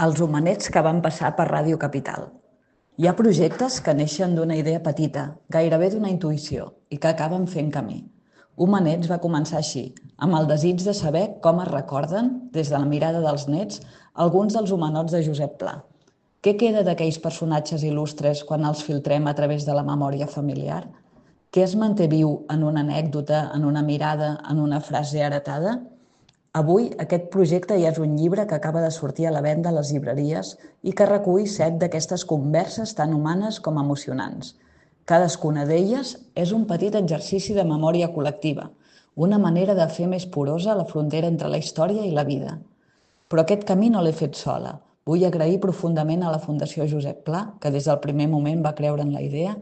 Els homenets que van passar per Ràdio Capital. Hi ha projectes que neixen d'una idea petita, gairebé d'una intuïció, i que acaben fent camí. Homenets va començar així, amb el desig de saber com es recorden, des de la mirada dels nets, alguns dels homenots de Josep Pla. Què queda d'aquells personatges il·lustres quan els filtrem a través de la memòria familiar? Què es manté viu en una anècdota, en una mirada, en una frase heretada? Avui aquest projecte ja és un llibre que acaba de sortir a la venda a les llibreries i que recull 7 d'aquestes converses tan humanes com emocionants. Cadascuna d'elles és un petit exercici de memòria col·lectiva, una manera de fer més porosa la frontera entre la història i la vida. Però aquest camí no l'he fet sola. Vull agrair profundament a la Fundació Josep Pla, que des del primer moment va creure en la idea,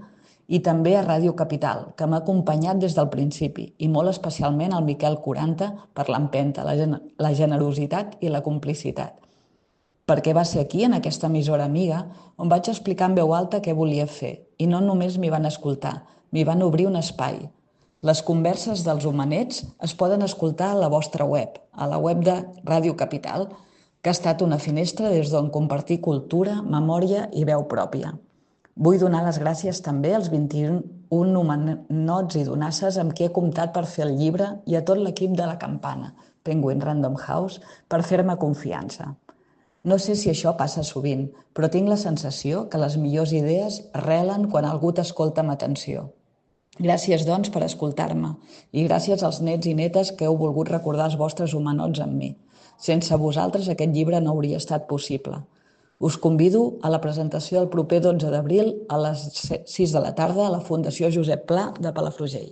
i també a Ràdio Capital, que m'ha acompanyat des del principi, i molt especialment al Miquel Quaranta per l'empenta, la generositat i la complicitat. Perquè va ser aquí, en aquesta emissora amiga, on vaig explicar en veu alta què volia fer, i no només m'hi van escoltar, m'hi van obrir un espai. Les converses dels homenets es poden escoltar a la vostra web, a la web de Ràdio Capital, que ha estat una finestra des d'on compartir cultura, memòria i veu pròpia. Vull donar les gràcies també als 21 homenots i donasses amb qui he comptat per fer el llibre i a tot l'equip de la Campana, Penguin Random House, per fer-me confiança. No sé si això passa sovint, però tinc la sensació que les millors idees arrelen quan algú t'escolta amb atenció. Gràcies, doncs, per escoltar-me i gràcies als nets i netes que heu volgut recordar els vostres homenots amb mi. Sense vosaltres aquest llibre no hauria estat possible. Us convido a la presentació del proper 12 d'abril a les 6 de la tarda a la Fundació Josep Pla de Palafrugell.